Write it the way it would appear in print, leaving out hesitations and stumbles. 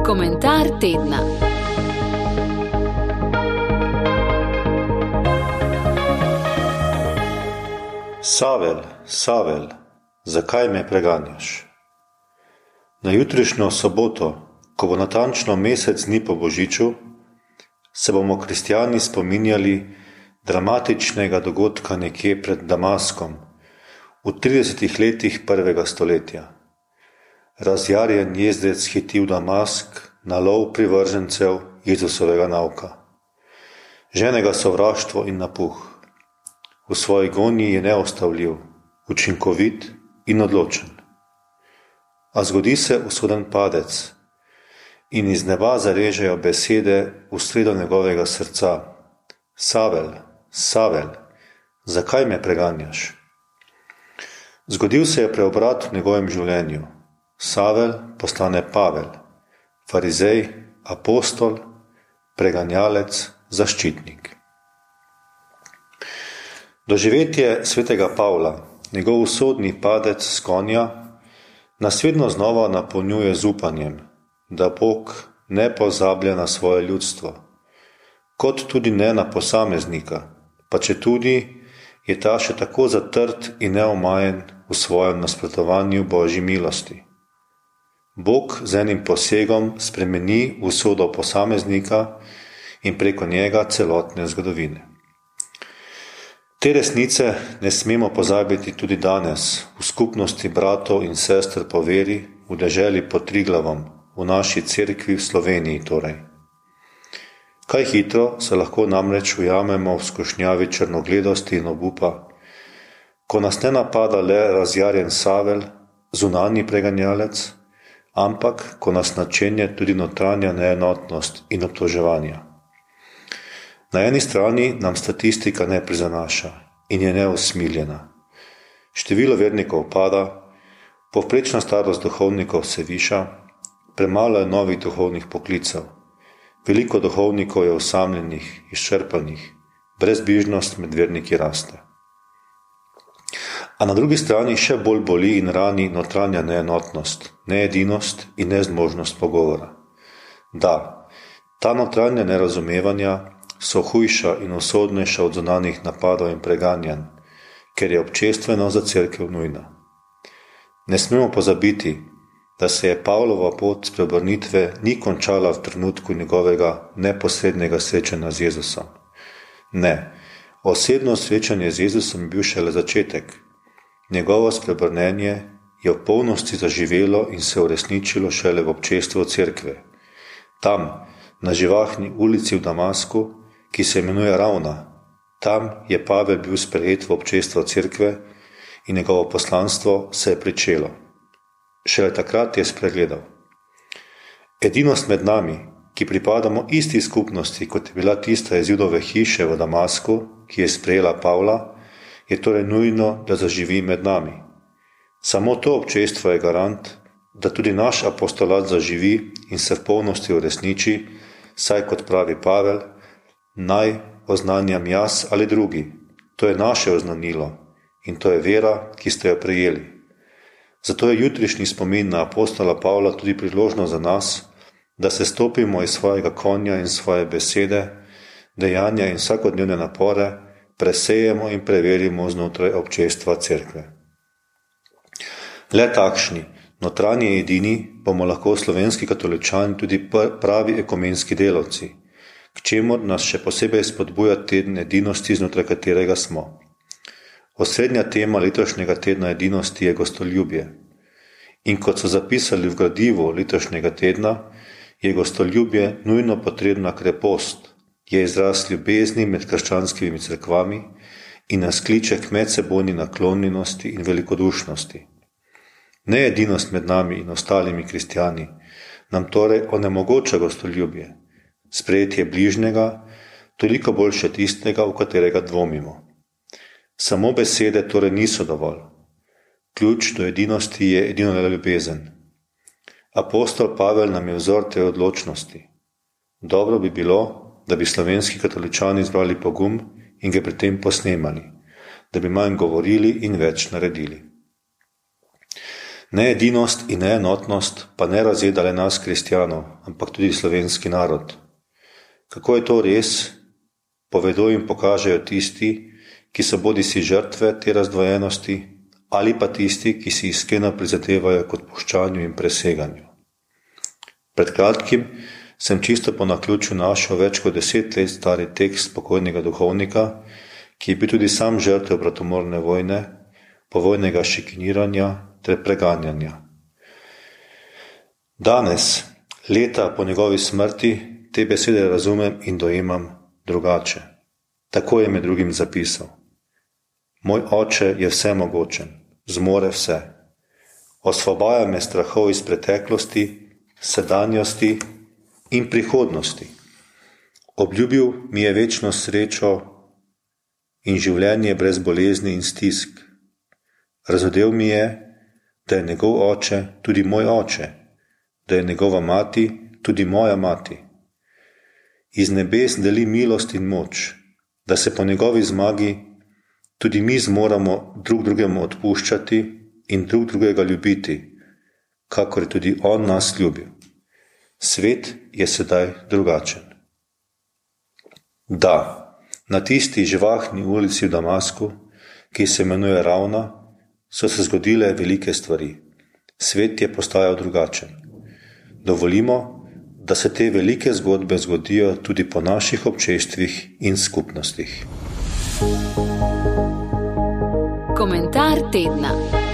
Komentar tedna. Savel, Savel, zakaj me preganjaš? Na jutrišnjo soboto, ko bo natančno mesec dni po Božiču, se bomo kristjani spominjali dramatičnega dogodka nekje pred Damaskom v 30 letih prvega stoletja. Razjarjen jezdec hiti v Damask na lov privržencev Jezusovega nauka. Žene ga sovraštvo in napuh. V svoji gonji je neustavljiv, učinkovit in odločen. A zgodi se usoden padec in iz neba zarežejo besede v sredo njegovega srca. Savel, Savel, zakaj me preganjaš? Zgodil se je preobrat v njegovem življenju. Savel postane Pavel, farizej, apostol, preganjalec, zaščitnik. Doživetje svetega Pavla, njegov usodni padec s konja, nas vedno znova napolnjuje z upanjem, da Bog ne pozablja na svoje ljudstvo, kot tudi ne na posameznika, pa četudi je ta še tako zatrt in neomajen v svojem nasprotovanju Božji milosti. Bog z enim posegom spremeni usodo posameznika in preko njega celotne zgodovine. Te resnice ne smemo pozabiti tudi danes v skupnosti bratov in sester po veri v deželi pod Triglavom, v naši cerkvi v Sloveniji torej. Kaj hitro se lahko namreč ujamemo v skušnjavi črnogledosti in obupa, ko nas ne napada le razjarjen Savel, zunanji preganjalec, ampak ko nas načenja tudi notranja neenotnost in obtoževanja. Na eni strani nam statistika ne prizanaša in je neusmiljena. Število vernikov pada, povprečna starost duhovnikov se viša, premalo je novih duhovnih poklicev, veliko duhovnikov je osamljenih, izčrpanih, brezbrižnost med verniki raste. A na drugi strani še bolj boli in rani notranja neenotnost, needinost in nezmožnost pogovora. Da, ta notranja nerazumevanja so hujša in usodnejša od zunanjih napadov in preganjanj, ker je občestveno za cerkev nujna. Ne smemo pozabiti, da se je Pavlova pot spreobrnitve ni končala v trenutku njegovega neposrednega srečanja z Jezusom. Ne, osebno srečanje z Jezusom je bil šele začetek. Njegovo spreobrnenje je v polnosti zaživelo in se uresničilo šele v občestvu cerkve. Tam, na živahni ulici v Damasku, ki se imenuje Ravna, tam je Pavel bil sprejet v občestvo cerkve in njegovo poslanstvo se je pričelo. Šele takrat je spregledal. Edinost med nami, ki pripadamo isti skupnosti, kot je bila tista iz Judove hiše v Damasku, ki je sprejela Pavla, je torej nujno, da zaživi med nami. Samo to občestvo je garant, da tudi naš apostolat zaživi in se v polnosti uresniči, saj kot pravi Pavel, naj oznanjam jaz ali drugi. To je naše oznanilo in to je vera, ki ste jo prejeli. Zato je jutrišnji spomin na apostola Pavla tudi priložnost za nas, da se stopimo iz svojega konja in svoje besede, dejanja in vsakodnevne napore, presejemo in preverimo znotraj občestva cerkve. Le takšni, notranji edini, bomo lahko slovenski katoličani tudi pravi ekumenski delavci, k čemur nas še posebej spodbuja teden edinosti, znotraj katerega smo. Osrednja tema letošnjega tedna edinosti je gostoljubje. In kot so zapisali v gradivu letošnjega tedna, je gostoljubje nujno potrebna krepost, je izraz ljubezni med krščanskimi cerkvami in nas kliče k medsebojni naklonjenosti in velikodušnosti. Needinost med nami in ostalimi kristjani nam torej onemogoča gostoljubje, sprejetje bližnjega, toliko boljše tistega, v katerega dvomimo. Samo besede torej niso dovolj. Ključ do edinosti je edino ljubezen. Apostol Pavel nam je vzor te odločnosti. Dobro bi bilo, da bi slovenski katoličani zbrali pogum in ga pri tem posnemali, da bi manj govorili in več naredili. Needinost in neenotnost pa ne razjeda le nas, kristjanov, ampak tudi slovenski narod. Kako je to res, povedo in pokažejo tisti, ki so bodisi žrtve te razdvojenosti, ali pa tisti, ki si iskreno prizadevajo k odpuščanju in preseganju. Pred kratkim sem čisto po naključju našel več kot 10 let stari tekst pokojnega duhovnika, ki je bil tudi sam žrtev bratomorne vojne, povojnega šikaniranja ter preganjanja. Danes, leta po njegovi smrti, te besede razumem in dojemam drugače. Tako je med drugim zapisal: Moj oče je vsemogočen, zmore vse. Osvobaja me strahov iz preteklosti, sedanjosti in prihodnosti. Obljubil mi je večno srečo in življenje brez bolezni in stisk. Razodel mi je, da je njegov oče tudi moj oče, da je njegova mati tudi moja mati. Iz nebes deli milost in moč, da se po njegovi zmagi tudi mi zmoramo drug drugemu odpuščati in drug drugega ljubiti, kakor je tudi on nas ljubil. Svet je sedaj drugačen. Da, na tisti živahni ulici v Damasku, ki se imenuje Ravna, so se zgodile velike stvari. Svet je postajal drugačen. Dovolimo, da se te velike zgodbe zgodijo tudi po naših občestvih in skupnostih. Komentar tedna.